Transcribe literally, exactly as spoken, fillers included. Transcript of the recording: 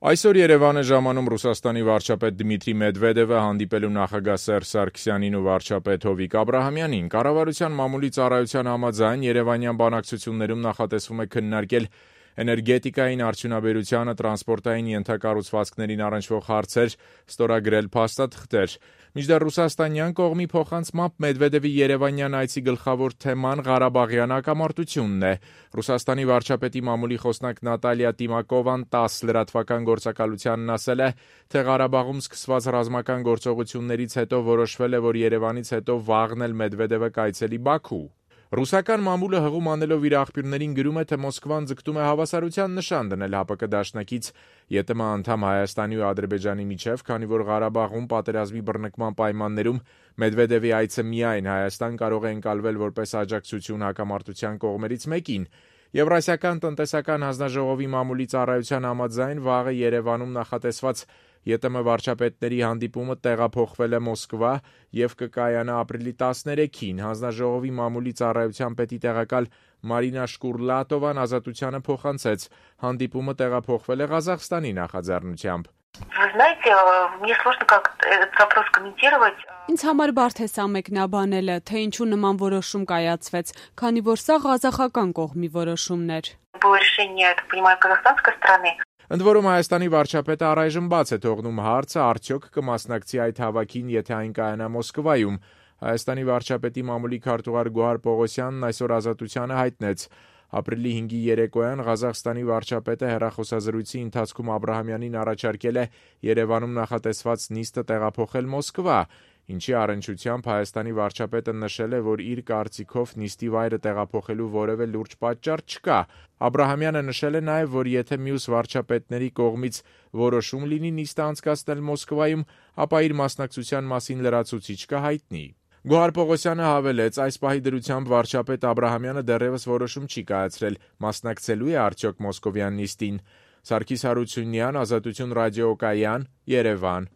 Այսօր Երևան է ժամանում Ռուսաստանի վարչապետ Դմիտրի Մեդվեդևը հանդիպելու նախագահ Սերժ Սարգսյանին ու վարչապետ Հովիկ Աբրահամյանին։ Կառավարության մամուլի ծառայության համաձայն երևանյան բանակցություններում նախատեսվում է քննարկել էներգետիկային, արդյունաբերությանը, տրանսպորտային ենթակառուցվածքներին առնչվող հարցեր, ստորագրել փաստաթղթեր։ Մինչդեռ ռուսաստանյան կողմի փոխանցմամբ Մեդվեդևի երևանյան այցի գլխավոր թեման Ղարաբաղյան հակամարտությունն է։ Ռուսաստանի վարչապետի մամուլի խոսնակ Նատալիա Տիմակովան տաս լրատվական գործակալությանն ասել է, թե Ղարաբաղում սկսված ռազմական գործողություններից հետո որոշվել է, որ Երևանից հետո վաղն էլ Մեդվեդևը կայցելի Բաքու։ Ռուսական մամուլը հղում անելով իր աղբյուրներին գրում է, թե Մոսկվան ձգտում է հավասարության նշան դնել ՀԱՊԿ դաշնակից ԵՏՄ անդամ Հայաստանի ու Ադրբեջանի միջև, քանի որ Ղարաբաղում պատերազմի բռնկման պայմաններում Մեդվեդևի այցը միայն Հայաստան կարող է ընկալվել որպես աջակցություն հակամարտության կողմերից մեկին։ Եվրասիական տնտեսական հանձնաժողովի մամուլի ծառայության համաձայն վաղը Երևանում նախատեսված ԵՏՄ վարչապետների հանդիպումը տեղափոխվել է Մոսկվա և կկայանա ապրիլի տասներեքին։ Հանձնաժողովի մամուլի ծառայության պետի տեղակալ Մարինա Շկուրլատովան Ազատությանը փոխանցեց. հանդիպումը տեղափոխվել է Ղազախստանի նախաձեռնությամբ։ Ինձ համար բարդ է սա մեկնաբանելը, թե ինչու նման որոշում կայացվեց, քանի որ սա ղազախական կողմի որոշումն էր։ Ընդ որում Հայաստանի վարչապետը առայժմ բաց է թողնում հարցը արդյոք կմասնակցի այդ հավաքին, եթե այն կայանա Մոսկվայում։ Հայաստանի վարչապետի մամուլի քարտուղար Գոհար Պողոսյանն այսօր Ազատությանը հայտնեց. ապրիլի հինգի երեկոյան Ղազախստանի վարչապետը հեռախոսազրույցի ընթացքում Աբրահամյանին առաջարկել է Երևանում նախատեսված նիստը տեղափոխել Մոսկվա, ինչի առնչությամբ Հայաստանի վարչապետը նշել է, որ իր կարծիքով նիստի վայրը տեղափոխելու որևէ լուրջ պատճառ չկա։ Աբրահամյանը նշել է նաև, որ եթե մյուս վարչապետների կողմից որոշում լինի նիստը անցկացնել Մոսկվայում, ապա իր մասնակցության մասին լրացուցիչ կհայտնի։ Գոհար Պողոսյանը հավելեց, այս պահի դրությամբ վարչապետ Աբրահամյանը դեռևս որոշում չի կայացրել, մասնակցելու է արդյոք մոսկովյան նիստին։ Սարգիս Հարությունյան, Ազատություն ռադիոկայան, Երևան։